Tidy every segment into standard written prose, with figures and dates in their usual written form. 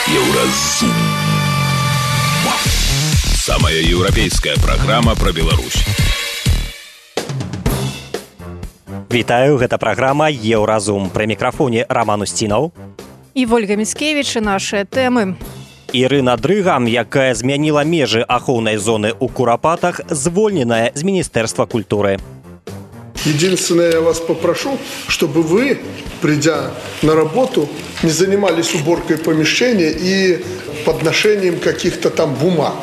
Еўразум. Самая еўрапейская праграма пра Беларусь. Вітаю, гэта праграма Еўразум. Пры мікрафоне Роман Устінаў і Вольга Міцкевіч і нашыя тэмы. Ірына Дрыга, якая змяніла межы ахоўнай зоны ў Курапатах, звольненая з Министерства культуры. Единственное, я вас попрошу, чтобы вы, придя на работу, не занимались уборкой помещения и подношением каких-то там бумаг.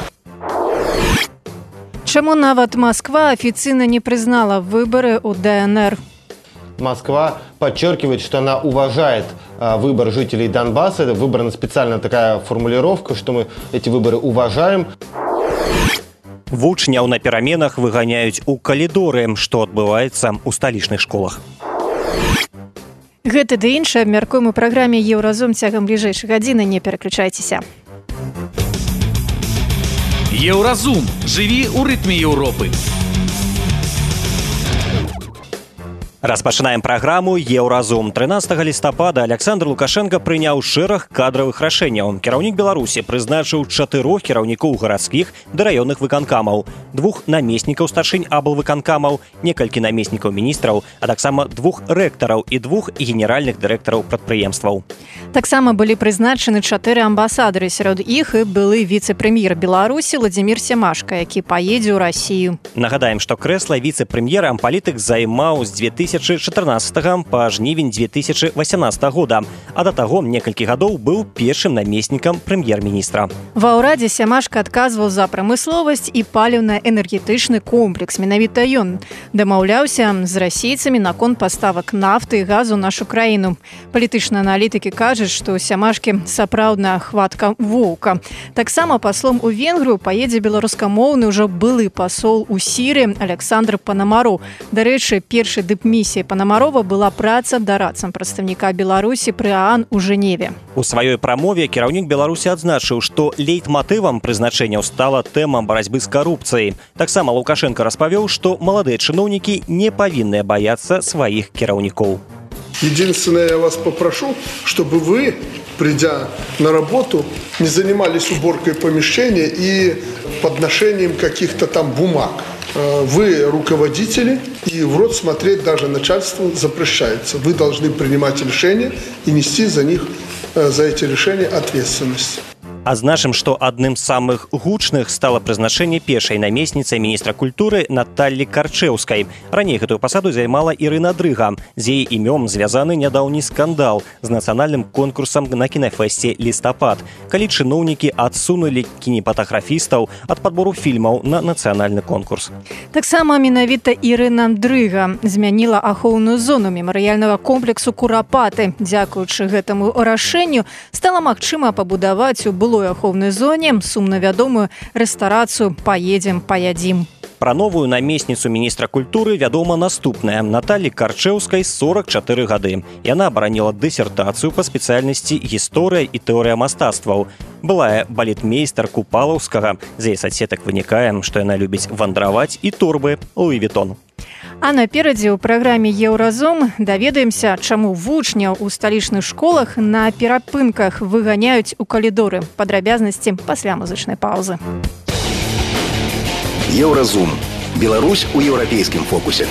Чаму нават Москва официально не признала выборы у ДНР? Москва подчеркивает, что она уважает выбор жителей Донбасса. Это выбрана специально такая формулировка, что мы эти выборы уважаем. Вучняў на пераменах выганяюць у калідоры, што адбываецца ў сталічных школах. Гэта ды іншае абмяркуем у праграме Еўразум цягам бліжэйшай гадзіны. Не пераключайцеся. Еўразум. Жыві ў рытме Еўропы. Распачынаем праграму Еўразум. 13 лістапада Александр Лукашенко прыняў шэраг кадравых рашэнняў. Кіраўнік Беларусі прызначыў 4 кіраўнікоў гарадскіх ды раённых выканкамаў, 2 намеснікаў старшынь аблвыканкамаў, некалькі намеснікаў міністраў, а таксама 2 рэктараў і 2 генеральных дырэктараў прадпрыемстваў. Таксама былі прызначаны 4 амбасадары, сярод іх і былы віцэ-прэм'ер Беларусі Владзімір Семашка, які паедзе ў Расію. Нагадаем, што крэсла віцэ-прэм'ера палітык займаў з 2014 па жнівень 2018 года, а да таго некалькі гадоў быў першым намеснікам прэм'ер-міністра. Ва ўрадзе Семашка адказваў за прамысловасць і паліўна-энергетычны комплекс. Менавіта ён дамаўляўся з расейцамі наконт паставак нафты і газу ў нашу краіну. Палітычныя аналітыкі кажуць, што у Семашкі сапраўдная хватка воўка. Таксама паслом у Венгрыю паедзе беларускамоўны ўжо былы пасол у Сірыі Александр Панамароў. Дарэчы, першы дыпмісіі Панамарова была праца дарадцам прадстаўніка Беларусі пры ААН у Жэневе. У сваёй прамове кіраўнік Беларусі адзначыў, што лейтматывам прызначэнняў стала тэма барацьбы з карупцыяй. Таксама Лукашенко распавёў, што маладыя чыноўнікі не павінны баяцца сваіх кіраўнікоў. Единственное, я вас попрошу, чтобы вы, придя на работу, не занимались уборкой помещения и подношением каких-то там бумаг. Вы руководители, и в рот смотреть даже начальству запрещается. Вы должны принимать решения и нести за эти решения ответственность. Адзначым, што адным з самых гучных стала прызначэнне першай намесніцай міністра культуры Наталлі Карчэўскай. Раней гэтую пасаду займала Ірына Дрыга. З яе імём звязаны нядаўні скандал з нацыянальным конкурсам на кінафэсце «Лістапад», калі чыноўнікі адсунулі кінематаграфістаў ад падбору фільмаў на нацыянальны конкурс. Таксама менавіта Ірына Дрыга змяніла ахоўную зону мемарыяльнага комплексу Курапаты. Дзякуючы гэтаму рашэнню стала магчыма пабудаваць у былой ахоўнай зоне сумна вядомую рэстарацыю «Паедзем, паядзім». Пра новую намесніцу міністра культуры вядома наступная. Наталлі Карчэўскай 44 гады. Яна абараніла дысертацыю па спецыяльнасці гісторыя і тэорыя мастацтваў. Былая балетмейстар Купалаўскага. З яе садсетак вынікае, што яна любіць вандраваць і торбы Луі Вітон. А наперадзе ў праграме Еўразум даведаемся, чаму вучняў у сталічных школах на перапынках выганяюць у калідоры. Падрабязнасці пасля музычнай паўзы. Еўразум. Беларусь у еўрапейскім фокусе.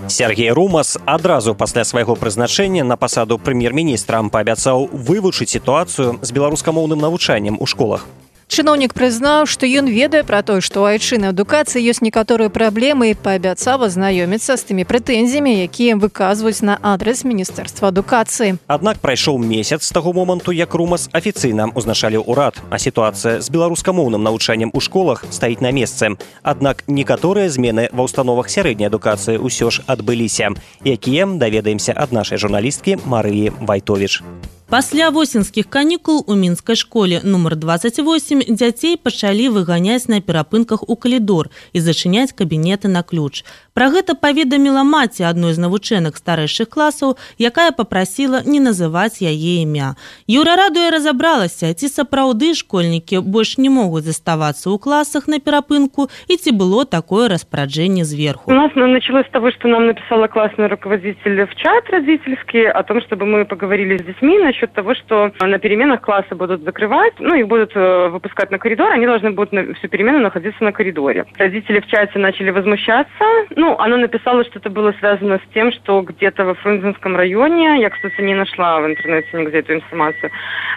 Сергей Румас адразу пасля свайго прызначэння на пасаду прэм'ер-міністра паабяцаў вывучыць сітуацыю з беларускамоўным навучаннем у школах. Чыноўнік прызнаў, што ён ведае пра тое, што ў айчыннай адукацыі ёсць некаторыя праблемы і паабяцаў азнаёміцца з тымі прэтэнзіямі, якія выказваюць на адрас Міністэрства адукацыі. Аднак прайшоў месяц з таго моманту, як Румас афіцыйна ўзначаліў урад, а сітуацыя з беларускамоўным навучаннем у школах стаіць на месцы. Аднак некаторыя змены ва ўстановах сярэдняй адукацыі ўсё ж адбыліся, якія даведаемся ад нашай журналісткі Марыі Вайтовіч. Пасля восеньскіх канікул у мінскай школе нумар 28 дзяцей пачалі выганяць на перапынках у калідор і зачыняць кабінеты на ключ. Пра гэта паведаміла маці адной з навучэнак старэйшых класаў, якая папрасіла не называць яе імя. Еўрарадыё разабралася, ці сапраўды школьнікі больш не могуць заставацца ў класах на перапынку і ці было такое распараджэнне зверху. У нас началось с того, что нам написала классный руководитель в чат родительский о том, чтобы мы поговорили с детьми насчет счет того, что на переменах классы будут закрывать, их будут выпускать на коридор, они должны будут всю перемену находиться на коридоре. Родители в чате начали возмущаться. Она написала, что это было связано с тем, что где-то во Фрунзенском районе, я, кстати, не нашла в интернете нигде эту информацию,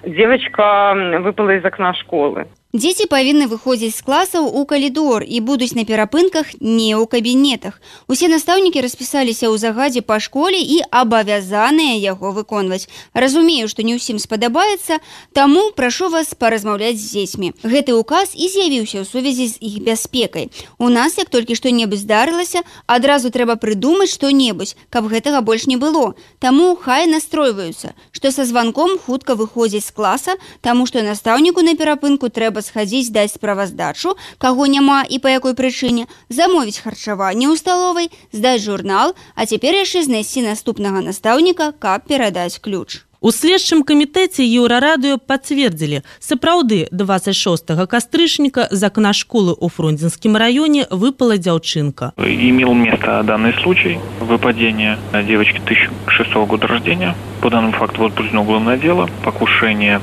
девочка выпала из окна школы. Дзеці павінны выходзіць з класаў у калідор і будуць на перапынках не ў кабінетах. Усе настаўнікі распісаліся ў загадзе па школе і абавязаныя яго выконваць. Разумею, што не ўсім спадабаецца, таму прашу вас паразмаўляць з дзецьмі. Гэты указ і з'явіўся ў сувязі з іх бяспекай. У нас, як толькі што-небудзь здарылася, адразу трэба прыдумаць што-небудзь, каб гэтага больш не было. Таму хай настройваюцца, што са званком хутка выходзіць з класа, таму што настаўніку на перапынку трэба схадзіць даць справаздачу, каго няма і па якой прычыне, замовіць харчаванне ў сталовай, здаць журнал, а цяпер яшчэ знайсці наступнага настаўніка, каб перадаць ключ. У следчым камітэце Еўрарадыё пацвердзілі, сапраўды 26 кастрычніка з окна школы ў Фрунзенскім раёне выпала дзяўчынка. Имел место данный случай выпадения девочки 2006 года рождения. По данному факту возбуждено уголовное дело, покушение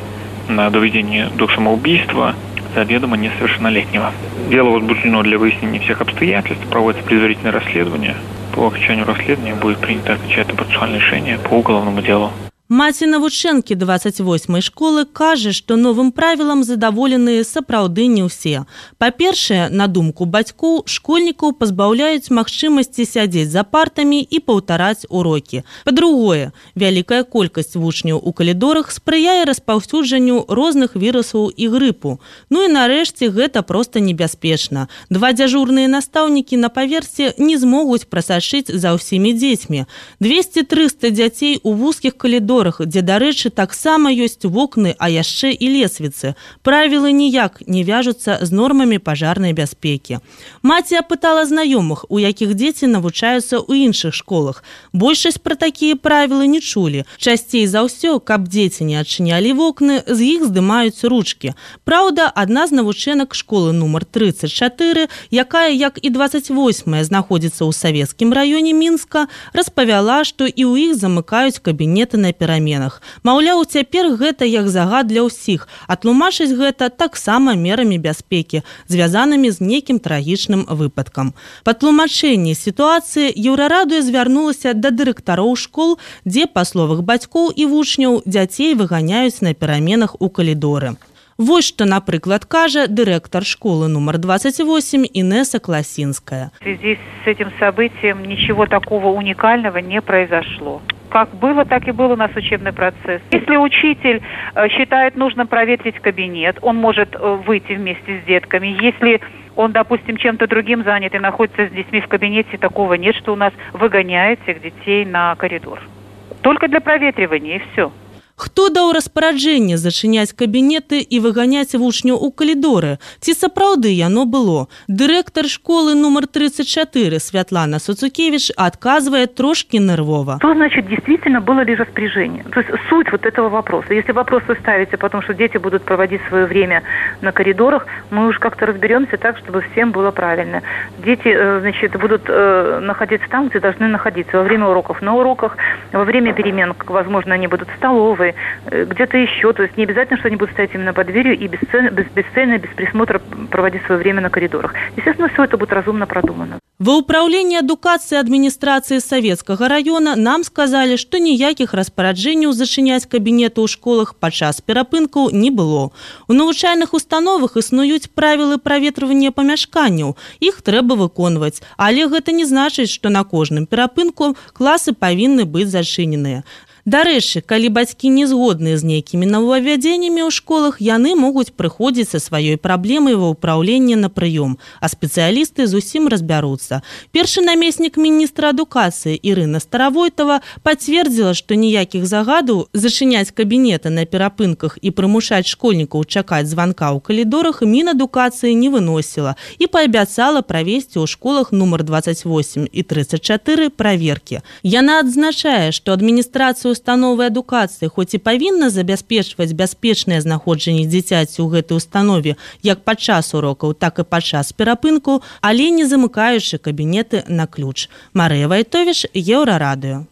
на доведение до самоубийства заведомо несовершеннолетнего. Дело возбуждено для выяснения всех обстоятельств, проводится предварительное расследование. По окончанию расследования будет принято окончательное процессуальное решение по уголовному делу. Маці навучэнкі 28-й школы кажа, што новым правілам задаволеныя сапраўды не ўсе. Па-першае, на думку бацькоў, школьнікаў пазбаўляюць магчымасці сядзець за партамі і паўтараць урокі. Па-другое, вялікая колькасць вучняў у калідорах спрыяе распаўсюджанню розных вірусаў і грыпу. І нарэшце гэта проста небяспечна. 2 дзяжурныя настаўнікі на паверсе не змогуць прасачыць за ўсімі дзецьмі. 200-300 дзяцей у вузкіх калідорах, дзе, дарэчы, таксама ёсць вокны, а яшчэ і лесвіцы. Правілы ніяк не вяжуцца з нормамі пажарнай бяспекі. Маці апытала знаёмых, у якіх дзеці навучаюцца ў іншых школах. Большасць пра такія правілы не чулі. Часцей за ўсё, каб дзеці не адчынялі вокны, з іх здымаюць ручкі. Праўда, адна з навучэнак школы нумар 34, якая, як і 28-я, знаходзіцца ў савецкім раёне Мінска, распавяла, што і ў іх замыкаюць кабінеты на пераменах. Маўляў, цяпер гэта як загад для ўсіх, а тлумачыць гэта таксама мерамі бяспекі, звязанымі з нейкім трагічным выпадкам. Па тлумачэнні сітуацыі Еўрарадыё звярнулася да дырэктароў школ, дзе, па словах бацькоў і вучняў, дзяцей выганяюць на пераменах у калідоры. Вот что, например, кажа директор школы номер 28 Инесса Класинская. В связи с этим событием ничего такого уникального не произошло. Как было, так и был у нас учебный процесс. Если учитель считает нужным проветрить кабинет, он может выйти вместе с детками. Если он, допустим, чем-то другим занят и находится с детьми в кабинете, такого нет, что у нас выгоняют всех детей на коридор. Только для проветривания, и все. Хто даў распараджэнне зачыняць кабінеты і выганяць вучняў у калідоры? Ці сапраўды яно было? Дырэктар школы номер 34 Святлана Суцукевич отказывает трошки нервово. Что значит действительно было ли распоряжение? То есть суть вот этого вопроса. Если вопрос вы ставите, потому что дети будут проводить свое время на коридорах, мы уже как-то разберемся так, чтобы всем было правильно. Дети, значит, будут находиться там, где должны находиться. Во время уроков на уроках, во время перемен, возможно, они будут в столовой, где-то еще. То есть не обязательно, что они будут стоять именно под дверью и бесцельно, без присмотра проводить свое время на коридорах. Естественно, все это будет разумно продумано. Ва ўпраўленні адукацыі адміністрацыі Савецкага раёна нам сказалі, што ніякіх распараджэнняў зачыняць кабінеты ў школах падчас перапынкаў не было. У навучальных установах існуюць правілы праветрывання памяшканняў. Іх трэба выконваць, але гэта не значыць, што на кожным перапынку класы павінны быць зачыненыя. Дарэчы, калі бацькі не згодныя з нейкімі новаввядзеннямі ў школах, яны могуць прыходзіць са сваёй праблемай ва ўпраўленне на прыём, а спецыялісты зусім разбяруцца. Першы намеснік міністра адукацыі Ірына Старавойтова пацвердзіла, што ніякіх загадаў зачыняць кабінеты на перапынках і прымушаць школьнікаў чакаць званка ў калідорах Мінадукацыі не выносіла і паабяцала правесці ў школах нумар 28 і 34 праверкі. Яна адзначае, што адміністрацыя установы адукацыі хоць і павінна забяспечваць бяспечнае знаходжанне дзіцяці ў гэтай установе як падчас урокаў, так і падчас перапынку, але не замыкаючы кабінеты на ключ. Марыя Вайтовіч, Еўрарадыё.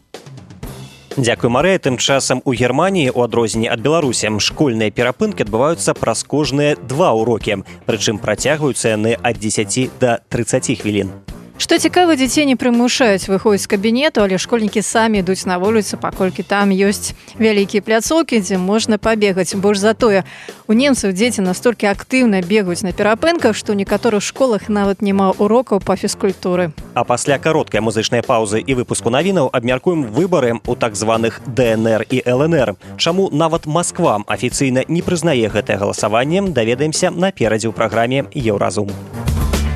Дзякуй, Марыя. Тым часам у Германіі, у адрозненне ад Беларусі, школьныя перапынкі адбываюцца праз кожныя 2 урокі. Прычым працягваюцца яны ад 10 да 30 хвілін. Што цікава, дзяцей не прымушаюць выходзіць з кабінету, але школьнікі самі ідуць на вуліцу, паколькі там ёсць вялікія пляцоўкі, дзе можна пабегаць. Больш за тое, у немцаў дзеці настолькі актыўна бегаюць на перапынках, што ў некаторых школах нават няма урокаў па фізкультуры. А пасля кароткай музычнай паўзы і выпуску навінаў абмяркуем выбары ў так званых ДНР і ЛНР. Чаму нават Масква афіцыйна не прызнае гэтае галасаванне, даведаемся наперадзе ў праграме «Еўразум».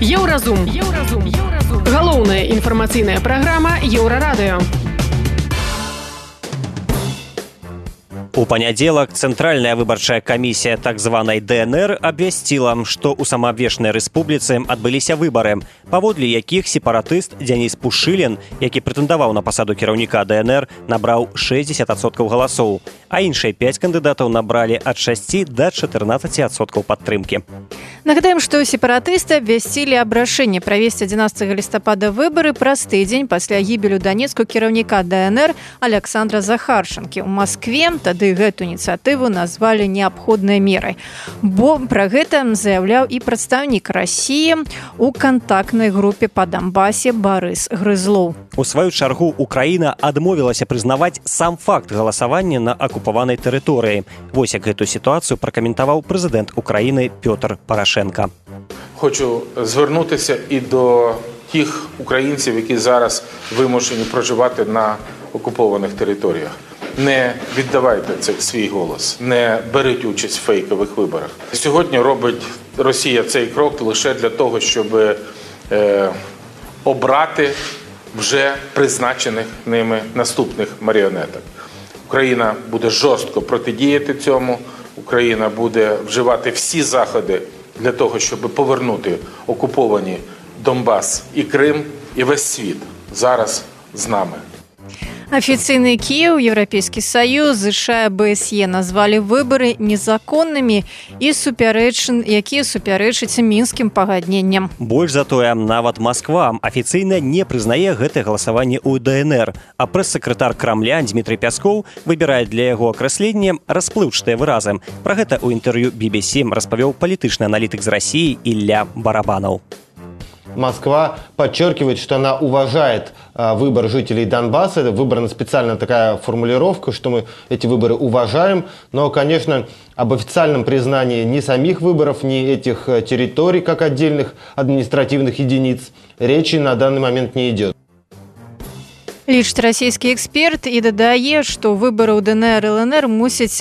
Еўразум. Галоўная інфармацыйная праграма Еўрарадыё. У панядзелак Цэнтральная выбарчая камісія так званай ДНР абвясціла, што ў самаабвешчанай рэспубліцы адбыліся выбары, паводле якіх сепаратыст Дзяніс Пушылін, які прэтэндаваў на пасаду кіраўніка ДНР, набраў 60% галасоў, а іншыя 5 кандыдатаў набралі ад 6 да 14% падтрымкі. Нагадаем, што сепаратысты абвясцілі аб рашэнні правесці 11 лістапада выбары праз тыдзень пасля гібелю данецку кіраўніка ДНР Александра Захарчанкі. У Маскве тады гэту ініцыятыву назвалі неабходнай мерай. Бо пра гэта заяўляў і прадстаўнік Расіі у кантактнай групе па Донбасе Барыс Грызлоў. У сваю чаргу Украіна адмовілася прызнаваць сам факт галасавання на акупаванай тэрыторыі. Вось як гэту сітуацыю пракаментаваў прэзідэнт Украіны Пётр Порошенко. Хочу звернутися і до тих українців, які зараз вимушені проживати на окупованих територіях. Не віддавайте свій голос, не беріть участь в фейкових виборах. Сьогодні робить Росія цей крок лише для того, щоб обрати вже призначених ними наступних маріонеток. Україна буде жорстко протидіяти цьому, Україна буде вживати всі заходи для того, щоб повернути окуповані Донбас і Крим, і весь світ зараз з нами. Афіцыйны Кіеў, Еўрапейскі Саюз, ЗША, БСЕ назвалі выбары незаконнымі і якія супярэчаць мінскім пагадненням. Больш за тое, нават Масква афіцыйна не прызнае гэтае галасаванне ў ДНР, а прэс-сакратар Крамля Дмітрый Пяскоў выбірае для яго акрэслення расплыўчатыя выразы. Пра гэта ў інтэрв'ю BBC распавёў палітычны аналітык з России Илья Барабанов. Москва подчеркивает, что она уважает выбор жителей Донбасса. Выбрана специально такая формулировка, что мы эти выборы уважаем. Но, конечно, об официальном признании ни самих выборов, ни этих территорий, как отдельных административных единиц, речи на данный момент не идет. Лічыць расійскі эксперт і дадае, што выбары ў ДНР і ЛНР мусяць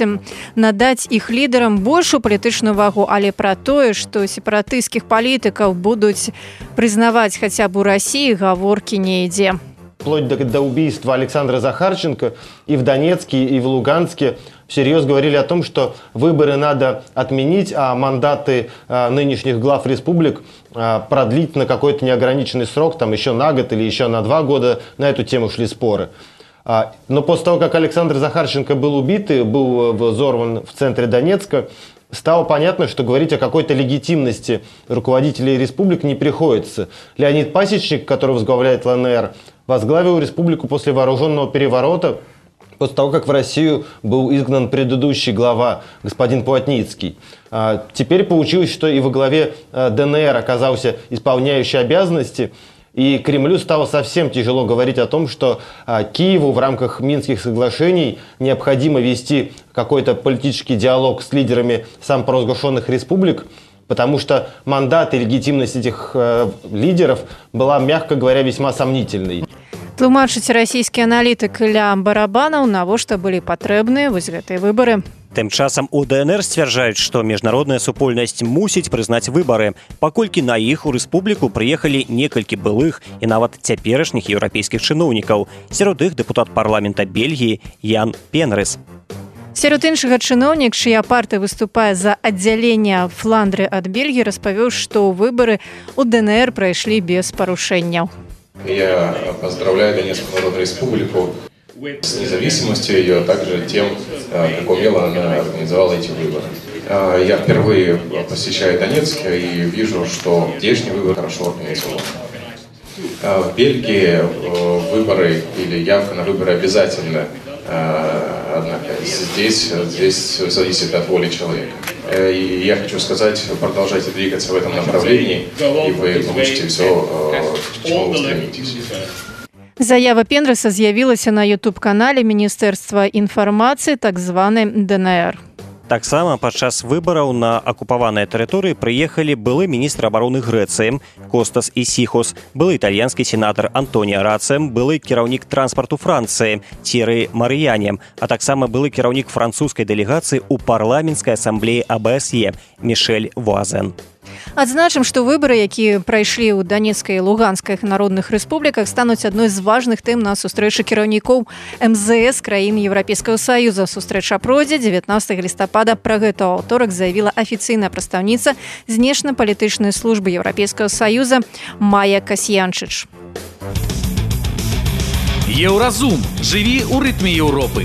надаць іх лідарам большую палітычную вагу, але пра тое, што сепаратысцкіх палітыкаў будуць прызнаваць хаця б у Расіі, гаворкі не ідзе. Вплоть до убийства Александра Захарченко и в Донецке, и в Луганске всерьез говорили о том, что выборы надо отменить, а мандаты нынешних глав республик продлить на какой-то неограниченный срок, там еще на год или еще на 2 года. На эту тему шли споры. Но после того, как Александр Захарченко был убит и был взорван в центре Донецка, стало понятно, что говорить о какой-то легитимности руководителей республик не приходится. Леонид Пасечник, который возглавляет ЛНР, возглавил республику после вооруженного переворота, после того, как в Россию был изгнан предыдущий глава, господин Плотницкий. Теперь получилось, что и во главе ДНР оказался исполняющий обязанности, и Кремлю стало совсем тяжело говорить о том, что Киеву в рамках Минских соглашений необходимо вести какой-то политический диалог с лидерами самопровозглашенных республик, потому что мандат и легитимность этих лидеров была, мягко говоря, весьма сомнительной. Тлумачыць расійскі аналітык Ілля Барабанаў, навошта былі патрэбныя вось гэтыя выбары. Тым часам у ДНР сцвярджаюць, што міжнародная супольнасць мусіць прызнаць выбары, паколькі на іх у рэспубліку прыехалі некалькі былых і нават цяперашніх еўрапейскіх чыноўнікаў. Сярод іх дэпутат парламента Бельгіі Ян Пенрыс. Сярод іншага чыноўнік, чыя партыя выступае за аддзяленне Фландры ад Бельгіі, распавёў, што выбары ў ДНР прайшлі без парушэнняў. Я поздравляю Донецкую Народную Республику с независимостью ее, а также тем, как умело она организовала эти выборы. Я впервые посещаю Донецк и вижу, что здешний выбор хорошо организован. В Бельгии выборы или явка на выборы обязательно Однако здесь зависит от воли человека. И я хочу сказать, продолжайте двигаться в этом направлении, и вы получите все, к чему вы стремитесь. Заява Пендраса з'явілася на YouTube-канале Міністэрства інфармацыі, так званы ДНР. Таксама падчас выбараў на акупаваныя тэрыторыі прыехалі былы міністр абароны Грэцыі Костас Исихос, былы італьянскі сенатар Антоніа Рацэ, былы кіраўнік транспарту Францыі Тьерри Марыяне, а таксама былы кіраўнік французскай дэлегацыі ў парламенцкай асамблеі АБСЕ Мишель Вуазен. Адзначым, што выбары, якія прайшлі ў Данецкай і Луганскай народных рэспубліках, стануць адной з важных тэм на сустрэчы кіраўнікоў МЗС краін Еўрапейскага Саюза. Сустрэча пройдзе 19 лістапада. Пра гэта ў аўторак заявіла афіцыйная прадстаўніца знешнепалітычнай службы Еўрапейскага Саюза Майя Касьянчыч. Еўразум. Жыві ў рытме Еўропы.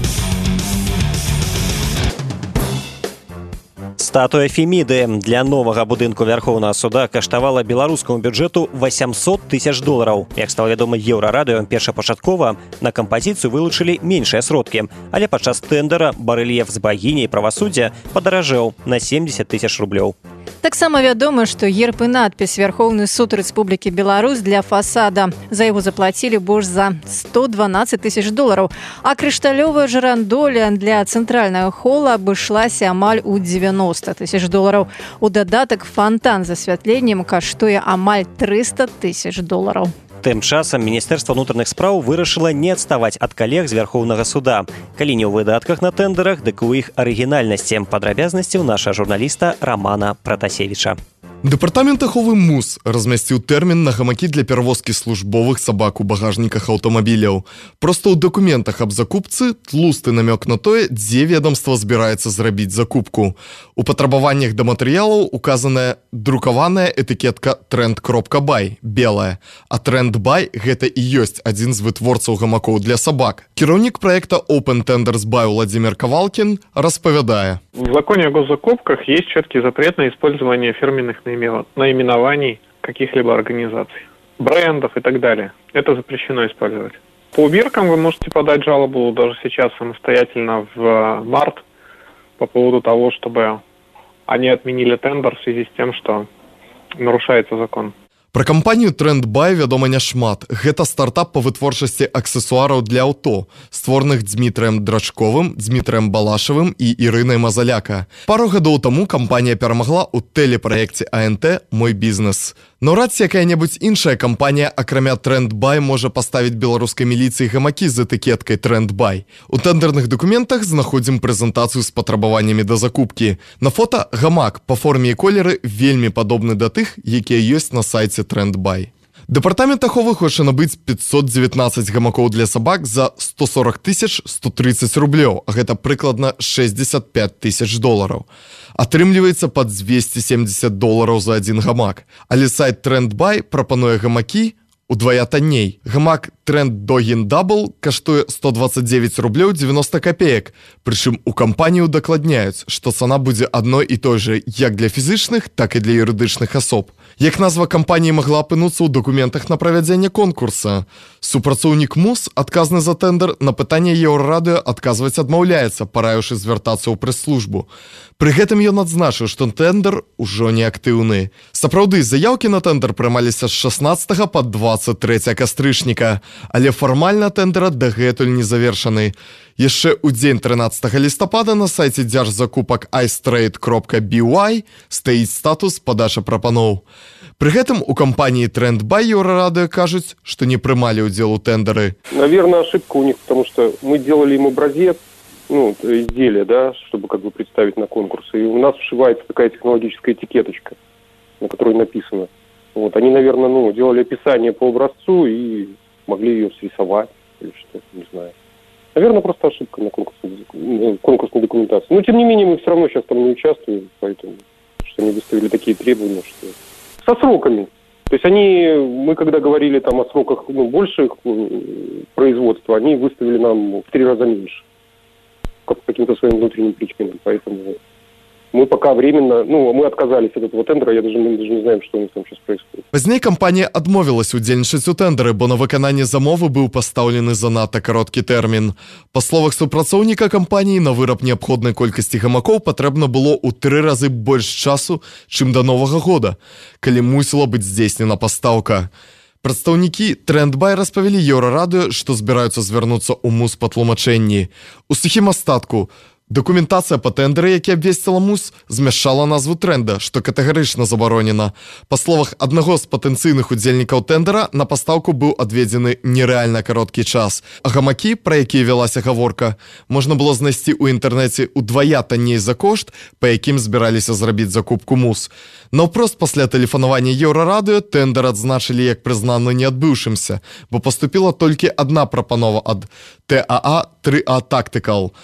Статуя Феміды для новага будынку Вярхоўнага суда каштавала беларускаму бюджэту $800 000. Як стала вядома Еўрарадыё, першапачаткова на кампазіцыю вылучылі меншыя сродкі, але падчас тэндара барэльеф з багіняй правасуддзя падаражэў на $70 000. Таксама вядома, што герб і надпіс Верховны суд Рэспублікі Беларусь для фасада. За яго заплацілі больш за $112 000, а крышталёвая жырандоля для цэнтральнага хола абышлася амаль у $90 000. У дадатак фантан з асвятленнем каштуе амаль $300 000. Тым часам Міністэрства ўнутраных спраў вырашыла не адставаць ад калег з Вярхоўнага суда. Калі не ў выдатках на тэндерах, дык у іх арыгінальнасці. Падрабязнасці ў наша журналіста Романа Пратасевіча. Дэпартамент аховы МУС размясціў тэрмін на гамакі для перавозкі службовых сабак у багажніках аўтамабіляў. Проста ў дакументах аб закупцы тлусты намёк на тое, дзе ведамства збіраецца зрабіць закупку. У патрабаваннях да матэрыялаў указаная друкаваная этыкетка «Тренд.бай» белая, а «Тренд.бай» гэта і ёсць адзін з вытворцаў гамакоў для сабак. Кіраўнік праекта Open Tenders Buy Владимир Ковалкин распавядае. В законе о госзакупках есть четкий запрет на использование фирменных наименований каких-либо организаций, брендов и так далее. Это запрещено использовать. По убиркам вы можете подать жалобу даже сейчас самостоятельно в март по поводу того, чтобы они отменили тендер в связи с тем, что нарушается закон. Пра кампанію «Тренд.бай» вядома няшмат. Гэта стартап па вытворчасці аксесуараў для аўто, створаных Дмітрыем Драчковым, Дмітрыем Балашавым і Ірынай Мазаляка. Пару гадоў таму кампанія перамагла ў тэлепраекце АНТ «Мой бізнес». Наўрад ці якая-небудзь іншая кампанія, акрамя «Тренд.бай», можа паставіць беларускай міліцыі гамакі з этыкеткай «Тренд.бай». У тэндерных дакументах знаходзім прэзентацыю з патрабаваннямі да закупкі. На фота гамак па форме і колеры вельмі падобны да тых, якія ёсць на сайце «Тренд.бай». Дэпартамент аховы хоча набыць 519 гамакоў для сабак за $140 130, а гэта прыкладна $65 000. Атрымліваецца пад $270 за адзін гамак. Але сайт «Тренд.бай» прапануе гамакі удвая танней. Гамак Trend Dogin Double каштуе $129.90. Прычым у кампанію дакладняюць, што цана будзе адной і той жа як для фізычных, так і для юрыдычных асоб. Як назва кампаніі магла апынуцца ў дакументах на правядзенне конкурса? Супрацоўнік МУС, адказны за тэндер, на пытанне Еўрарадыё адказваць адмаўляецца, параіўшы звяртацца ў прэс-службу. Пры гэтым ён адзначыў, што тэндер ужо не актыўны. Сапраўды, заяўкі на тэндер прымаліся з 16 па 23 кастрычніка, але фармальна тэндера дагэтуль не завершаны. Яшчэ ў дзень 13 лістапада на сайце дзяржзакупак iStrade.by стаіць статус падача прапаноў. При этом у компании «Тренд.бай» Еўрарадыё кажуць, что не прымалі ўдзел у тендеры. Наверное, ошибка у них, потому что мы делали им образец, изделие, да, чтобы как бы представить на конкурс. И у нас вшивается такая технологическая этикеточка, на которой написано. Вот, они, наверное, делали описание по образцу и могли ее срисовать или что-то, не знаю. Наверное, просто ошибка на конкурсной документации. Но, тем не менее, мы все равно сейчас там не участвуем, поэтому что они выставили такие требования, что... Со сроками. То есть мы когда говорили там о сроках больших производства, они выставили нам в 3 раза меньше. По каким-то своим внутренним причинам. Поэтому Мы пока временно, мы отказались от этого тендера, мы даже не знаем, что у них там сейчас происходит. Пазней кампанія адмовілась удзельнічаць у тэндары, бо на выкананне замовы быў пастаўлены занадта кароткі тэрмін. Па словах супрацоўніка кампаніі, на выраб неабходнай колькасці гамакоў патрэбна было ў 3 разы больш часу, чым да Новага года, калі мусіла быць здзейснена пастаўка. Прадстаўнікі Трендбай распавялі Еўрарадыё, што збіраюцца звярнуцца ў МУС па тлумачэнні. У сухім астатку, дакументацыя па тэндэры, які абвесціла МУС, змяшчала назву трэнда, што катэгарычна забаронена. Па словах аднаго з патэнцыйных удзельнікаў тэндера, на пастаўку быў адведзены нерэальна кароткі час. А гамакі, пра якія вялася гаворка, можна было знайсці ў інтэрнэце ўдвая танней за кошт, па якім збіраліся зрабіць закупку МУС. Наўпрост пасля тэлефанавання Еўрарадыё тэндэр адзначылі як прызнаны неадбыўшымся, бо паступіла толькі адна прапанова ад ТАА 3А Tactical.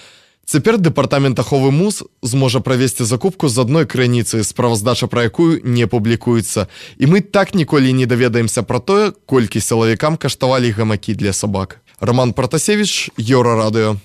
Цяпер дэпартамент аховы МУС зможа правесці закупку з адной крыніцы, справаздача пра якую не публікуецца. І мы так ніколі не даведаемся пра тое, колькі сілавікам каштавалі гамакі для сабак. Роман Пратасевіч, Еўрарадыё.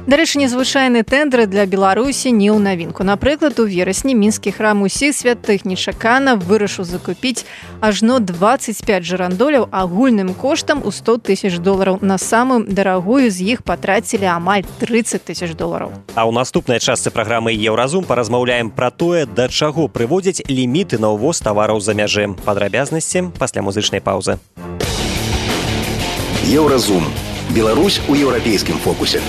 Дарэчы, незвычайны тэндэр для Беларусі не ў навінку. Напрыклад, у верасні мінскі храм усіх святых нечакана вырашыў закупіць ажно 25 жырандоляў агульным коштам у $100 000. На самую дарагую з іх патрацілі амаль $30 000. А ў наступнай частцы праграмы «Еўразум» паразмаўляем пра тое, да чаго прыводзяць ліміты на ўвоз тавараў за мяжы. Падрабязнасці пасля музычнай паўзы. Еўразум. Беларусь у еўрапейскім фокусе.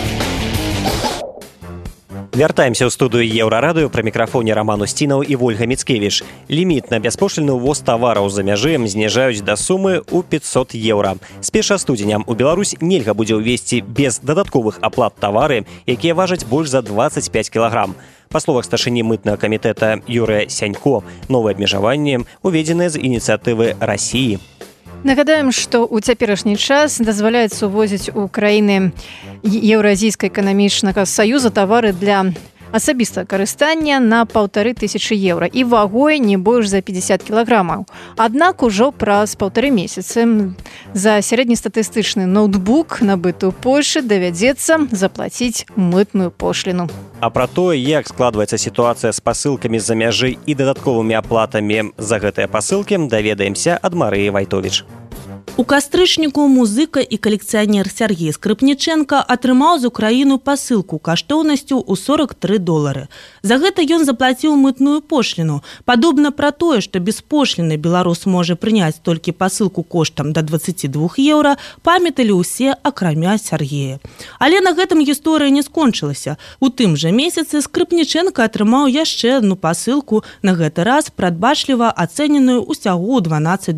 Вяртаемся ў студыю Еўрарадыё, пры мікрафоне Роман Устінаў і Вольга Міцкевіч. Ліміт на бяспошліны ўвоз тавараў за мяжы зніжаюць да сумы ў 500 еўра. З 1 студзеня ў Беларусь нельга будзе ўвезці без дадатковых аплат тавары, якія важаць больш за 25 кілаграм. Па словах старшыні мытнага камітэта Юрыя Сянько, новыя абмежаванні уведзеныя з ініцыятывы Расіі. Нагадаем, што ў цяперашні час дазваляецца увозіць у краіны Еўразійскага эканамічнага саюза тавары для асабістага карыстання на 1500 еўра і вагой не больш за 50 кілаграмаў. Аднак ужо праз 1,5 месяцы за сярэднестатыстычны ноутбук, набыты ў Польшы, давядзецца заплаціць мытную пошліну. А пра тое, як складваецца сітуацыя з пасылкамі з-за мяжы і дадатковымі аплатамі за гэтыя пасылкі, даведаемся ад Марыі Вайтовіч. У кастрычніку музыка і калекцыянер Сергей Скрыпніченко атрымаў з Украіну пасылку каштоўнасцю ў $43. За гэта ён заплаціў мытную пошліну. Падобна пра тое, што без пошліны беларус можа прыняць толькі пасылку коштам да 22 еўра, памяталі ўсе, акрамя Сергея. Але на гэтым гісторыя не скончылася. У тым жа месяцы Скрыпніченко атрымаў яшчэ адну пасылку, на гэты раз прадбачліва ацэненую ўсяго $12.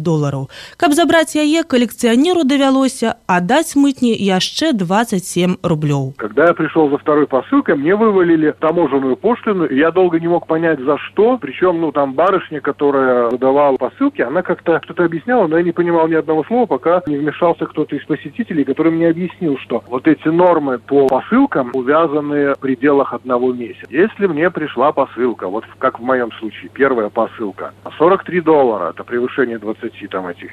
Каб забраць яе, коллекционеру довелося отдать мытне еще 27 рублей. Когда я пришел за второй посылкой, мне вывалили таможенную пошлину, и я долго не мог понять, за что. Причем, там барышня, которая выдавала посылки, она как-то что-то объясняла, но я не понимал ни одного слова, пока не вмешался кто-то из посетителей, который мне объяснил, что вот эти нормы по посылкам увязаны в пределах 1 месяца. Если мне пришла посылка, вот как в моем случае, первая посылка, $43, это превышение 20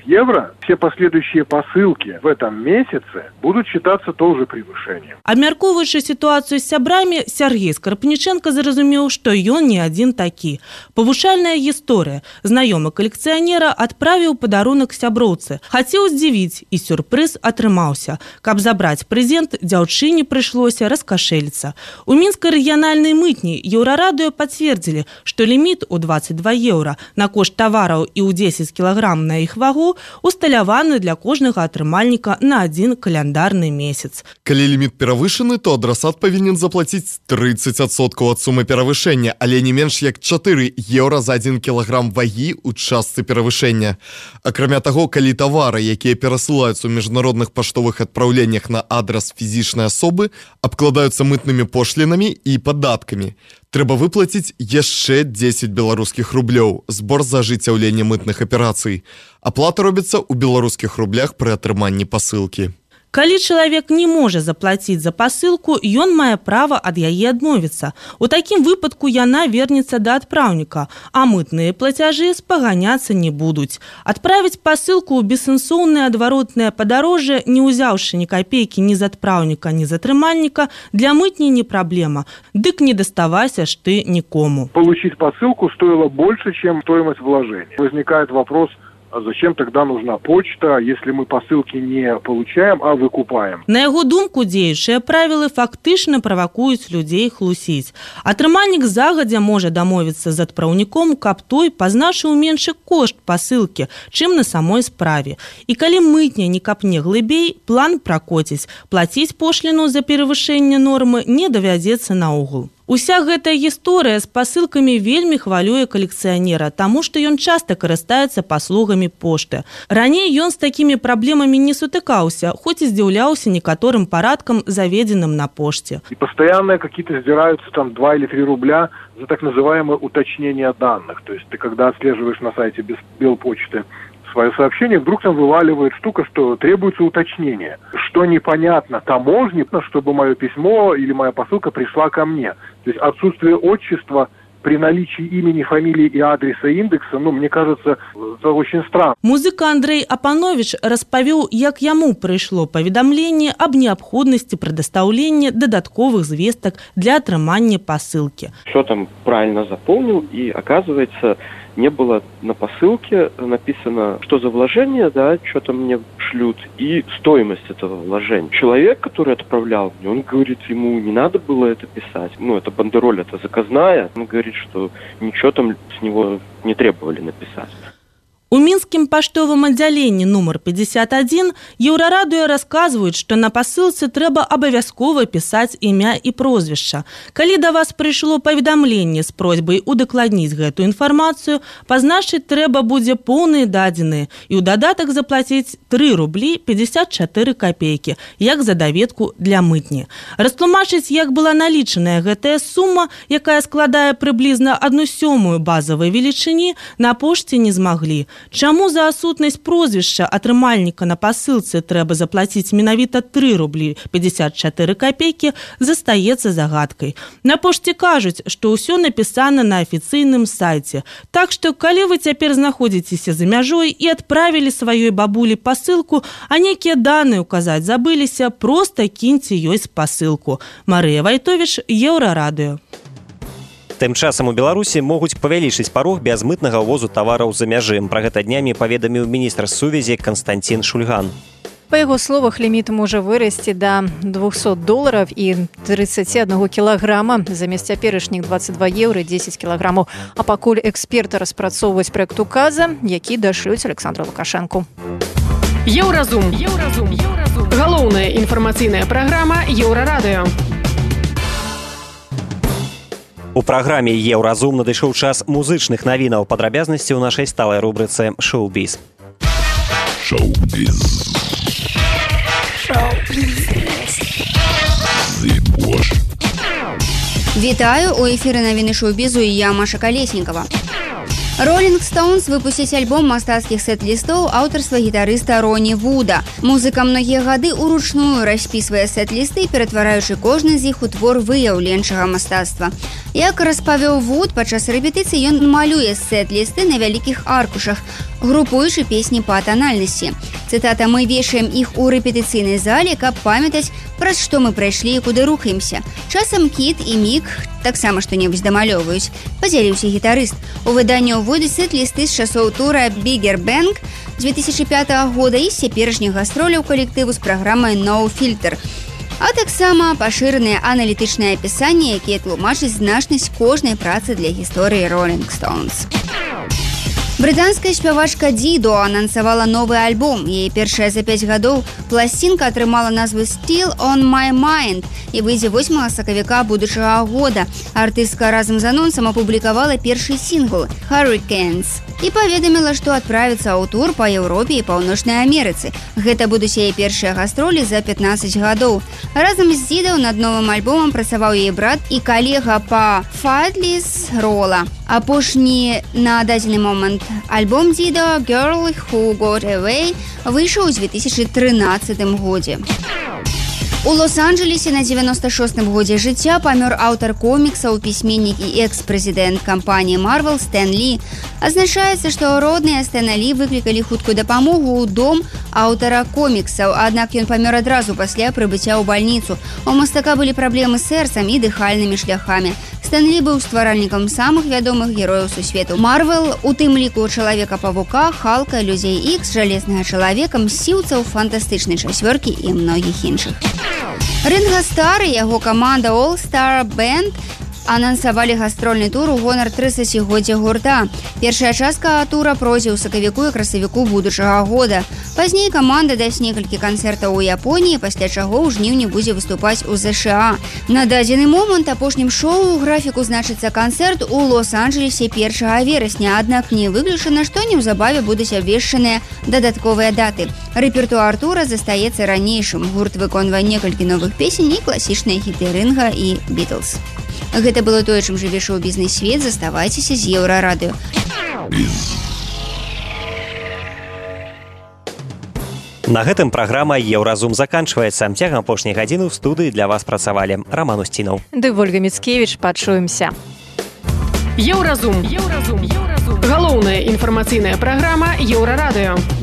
евро, все последующие посылки в этом месяце будут считаться тоже превышением. Абмяркоўваючы сітуацыю з сябрамі, Сергей Скрыпніченко зразумеў, што ён не адзін такі. Павучальная гісторыя. Знаёмы калекцыянера адправіў падарунак сяброўцы. Хацеў здзівіць, і сюрпрыз атрымаўся. Каб забраць прэзент, дзяўчыне прыйшлося раскашэліцца. У мінскай рэгіянальнай мытні Еўрарадыё пацвердзілі, што ліміт у 22 еўра на кошт тавараў і ў 10 кілаграм на іх вагу усталяваны для кожнага атрымальніка на 1 каляндарны месяц. Калі ліміт перавышаны, то адрасат павінен заплаціць 30% ад сумы перавышэння, але не менш як 4 еўра за 1 кілаграм вагі ў частцы перавышэння. Акрамя таго, калі тавары, якія перасылаюцца ў міжнародных паштовых адпраўленнях на адрас фізічнай асобы, абкладаюцца мытнымі пошлінамі і падаткамі, трэба выплаціць яшчэ 10 беларускіх рублёў, збор за ажыццяўленне мытных аперацый. Аплата робіцца ў беларускіх рублях пры атрыманні пасылкі. Калі чалавек не можа заплаціць за пасылку, ён мае права ад яе адмовіцца. У такім выпадку яна вернецца да адпраўніка, а мытныя плацяжы спаганяцца не будуць. Адправіць пасылку ў бессэнсоўнае адваротнае падарожжа, не ўзяўшы ні капейкі ні з адпраўніка, ні з атрымальніка, для мытні не праблема. Дык не доставайся ж ты никому. Получить посылку стоило больше, чем стоимость вложения. Возникает вопрос, а зачем тогда нужна почта, если мы посылки не получаем, а выкупаем? На яго думку, дзеючыя правілы фактычна правакуюць людзей хлусіць. Атрымальнік загадзя можа дамовіцца з адпраўніком, каб той пазначыў меншы кошт пасылкі, чым на самой справе. І калі мытня не капне глыбей, план пракоціць. Плаціць пошліну за перавышэнне нормы не давядзецца наогул. Уся гэтая гісторыя з пасылкамі вельмі хвалюе калекцыянера, таму што ён часта карыстаецца паслугамі пошты. Раней ён з такімі праблемамі не сутыкаўся, хоць і здзіўляўся некаторым парадкам, заведзеным на пошце. И постоянно какие-то сдираются там 2 или 3 рубля за так называемое уточнение данных. То есть ты когда отслеживаешь на сайте Белпочты свое сообщение, вдруг там вываливает штука, что требуется уточнение. Что непонятно таможне, чтобы мое письмо или моя посылка пришла ко мне. То есть отсутствие отчества при наличии имени, фамилии и адреса индекса, мне кажется, это очень странно. Музыка Андрей Апанович распавёў, як яму прыйшло паведамленне аб неабходнасці прадастаўлення дадатковых звестак для атрымання пасылкі. Все там правильно заполнил, и оказывается, не было на посылке написано, что за вложение, да, что-то мне шлют, и стоимость этого вложения. Человек, который отправлял мне, он говорит, ему не надо было это писать. Это бандероль, это заказная. Он говорит, что ничего там с него не требовали написать. У мінскім паштовым аддзяленні нумар 51 Еўрарадыё расказваюць, што на пасылцы трэба абавязкова пісаць імя і прозвішча. Калі да вас прыйшло паведамленне з просьбай удакладніць гэтую інфармацыю, пазначыць трэба будзе поўныя дадзеныя і ў дадатак заплаціць 3 рублі 54 копейкі, як за даведку для мытні. Растлумачыць, як была налічаная гэтая сума, якая складае прыблізна 1/7 базавай велічыні, на пошце не змаглі. Чаму за адсутнасць прозвішча атрымальніка на пасылцы трэба заплаціць менавіта 3 рублі 54 копейкі, застаецца загадкай. На пошце кажуць, што ўсё напісана на афіцыйным сайце. Так што, калі вы цяпер знаходзіцеся за мяжой і адправілі сваёй бабулі пасылку, а нейкія даныя указаць забыліся, проста кіньце ёй спасылку. Марыя Вайтовіч, Еўрарадыё. Тым часам у Беларусі могуць павялічыць парог бязмытнага ўвозу тавараў за мяжы. Пра гэта днямі паведаміў міністр сувязі Константин Шульган. Па яго словах, ліміт можа вырасці да $200 і 31 кілаграма замест цяперашніх 22 еўра 10 кілаграмаў. А пакуль эксперты распрацоўваюць праект указа, які дашлюць Александру Лукашэнку. Еўразум. Галоўная інфармацыйная праграма Еўрарадыё. У праграме «Еўразум» надышоў час музычных навінаў. Падрабязнасці ў нашай сталай рубрыцы «Шоу-біз». Вітаю, у эфіры навіны шоу-бізу і я, Маша Калеснікова. Rolling Stones выпусцяць альбом мастацкіх сет-лістоў аўтарства гітарыста Роні Вуда. Музыка многія гады уручную распісвае сет-лісты, ператвараючы кожны з іх у твор выяўленчага мастацтва. Як распавёў Вуд, падчас рэпетыцыі ён малюе сет-лісты на вялікіх аркушах, групуючы песні па танальнасці. Цытата: «Мы вешаем іх у рэпетыцыйнай зале, каб памятаць, праз што мы прайшлі і куды рухаемся. Часам Кіт і Мік таксама што-небудзь дамалёваюць», – падзяліўся гітарыст. У выданні ўводзяць сет-лісты з часоў тура «Bigger Bang» 2005 года і з цяперашніх гастроляў калектыву з праграмай «No Filter». А таксама пашыраныя аналітычныя апісанні, якія тлумачаць значнасць кожнай працы для гісторыі Rolling Stones. Брытанская спявачка Дидо анансавала новы альбом. Яе першая за 5 гадоў пласцінка атрымала назву «Still on my mind» і выйдзе 8 сакавіка будучага года. Артыстка разам з анонсам апублікавала першы сінгл «Hurricanes» і паведаміла, што адправіцца ў тур па Еўропе і Паўночнай Амерыцы. Гэта будуць яе першыя гастролі за 15 гадоў. Разам з Дидо над новым альбомам працаваў яе брат і калега па Фатліс Рола. Апошні на дадзены момант Альбом Дидо «Girl Who Got Away» выйшаў у 2013 годзе. У Лос-Анджелесе на 96-м годзе жыцця памёр аўтар коміксаў, пісьменнік і экс-прэзідэнт кампаніі Marvel Стэн Лі. Азначаецца, што родныя Стэна Лі выклікалі хуткую дапамогу ў дом аўтара коміксаў, аднак ён памёр адразу пасля прыбыцця ў бальніцу. У мастака былі праблемы з сэрцам і дыхальнымі шляхамі. Стэн Лі быў стваральнікам самых вядомых герояў сусвету Марвел, у тым ліку Чалавека-павука, Халка, Людзей Ікс, Жалезнага чалавека, Мсціўцаў, Фантастычнай чацвёркі і многіх іншых. Ринго Стар і яго каманда All Star Band анансавалі гастрольны тур у гонар 30-годдзя гурта. Першая частка тура пройдзе ў сакавіку і красавіку будучага года. Пазней каманда дасць некалькі канцэртаў у Японіі, пасля чаго ў жніўні будзе выступаць у ЗША. На дадзены момант апошнім шоу ў графіку значыцца канцэрт у Лос-Анджелесе 1 верасня, аднак не выключана, што неўзабаве будуць абвешчаныя дадатковыя даты. Рэпертуар тура застаецца ранейшым. Гурт выконвае некалькі новых песень і класічныя хіты Ринга і Бітлз. Гэта было тое, чым жыве шоу-бізнес-свет. Заставайцеся з Еўрарадыё. На гэтым праграма «Еўразум» заканчваецца. Цягам апошняй гадзіны ў студыі для вас працавалі Роман Устінаў. Ды Вольга Міцкевіч, пачуемся. Еўразум. Галоўная інфармацыйная праграма Еўрарадыё.